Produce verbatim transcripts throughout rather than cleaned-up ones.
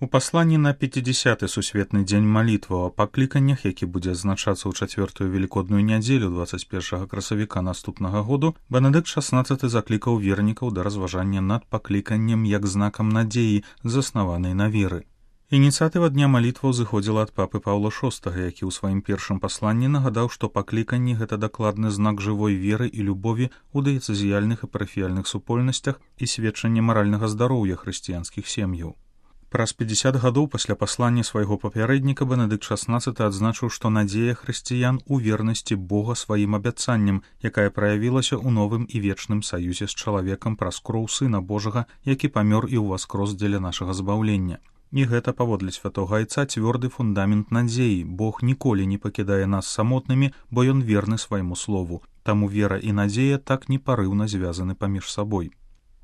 У пасланні на пяцідзясяты сусветны дзень малітваў о пакліканнях, які будзе адзначацца ў чацвёртую велікодную нядзелю дваццаць першага красавіка наступнага году, Бенедыкт шаснаццаты заклікаў вернікаў да разважання над пакліканнем як знакам надзеі, заснаванай на веры. Ініцыятыва дня малітваў зыходзіла ад папы Паўла шостага, які ў сваім першым пасланні нагадаў, што пакліканні — гэта дакладны знак жывой веры і любові ў дыяцэзіяльных і парафіяльных супольнасцях і сведчанне маральнага здароўя хрысціянскіх сем'яў. Праз пяцьдзясят гадоў пасля паслання свайго папярэдніка Бенедыкт шаснаццаты адзначыў, што надзея хрысціян у вернасці Бога сваім абяцанням, якая праявілася ў новым і вечным саюзе з чалавекам праз кроў Сына Божага, які памёр і ўваскрос дзеля нашага збаўлення. І гэта, паводле святога айца, цвёрды фундамент надзеі. Бог ніколі не пакідае нас самотнымі, бо ён верны свайму слову. Таму вера і надзея так непарыўна звязаны паміж сабой.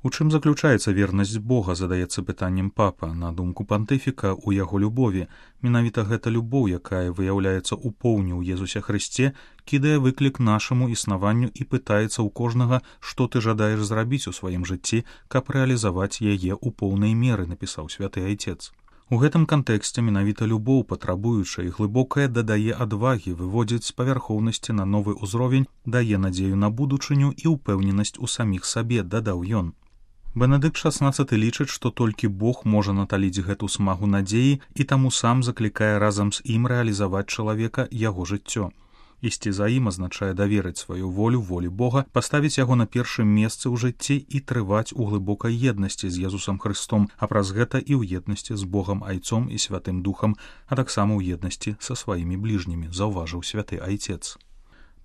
У чым заключаецца вернасць Бога, задаецца пытаннем папа. На думку пантыфіка, у яго любові. Менавіта гэта любоў, якая выяўляецца ў поўні ў Езусе Хрысце, кідае выклік нашаму існаванню і пытаецца ў кожнага, што ты жадаеш зрабіць у сваім жыцці, каб рэалізаваць яе ў поўнай меры, напісаў святы айцец. У гэтым кантэксце менавіта любоў, патрабуючая і глыбокая, дадае адвагі, выводзіць з павярхоўнасці на новы ўзровень, дае надзею на будучыню і ўпэўненасць у саміх сабе, дадаў ён. Бенедыкт шаснаццаты лічыць, што толькі Бог можа наталіць гэту смагу надзеі і таму сам заклікае разам з ім рэалізаваць чалавека яго жыццё. Ісці за ім азначае даверыць сваю волю волі Бога, паставіць яго на першым месцы ў жыцці і трываць у глыбокай еднасці з Езусам Хрыстом, а праз гэта і ў еднасці з Богам Айцом і Святым Духам, а таксама ў еднасці са сваімі бліжнімі, заўважыў святы айцец.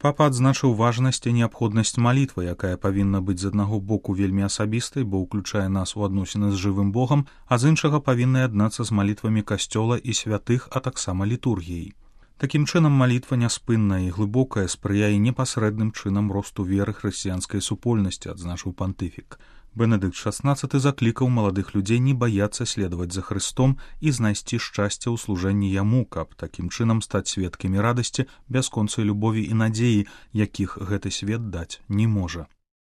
Папа адзначыў важнасць і неабходнасць малітвы, якая павінна быць з аднаго боку вельмі асабістай, бо ўключае нас у адносіны з жывым Богам, а з іншага павінна яднацца з малітвамі касцёла і святых, а таксама літургіяй. Такім чынам малітва няспынная і глыбокая спрыяе непасрэдным чынам росту веры хрысціянскай супольнасці, адзначыў пантыфік. Бенедыкт шаснаццаты заклікаў маладых людзей не баяцца следаваць за Хрыстом і знайсці шчасце ў служэнні яму, каб такім чынам стаць сведкамі радасці, бясконцай любові і надзеі, якіх гэты свет даць не можа.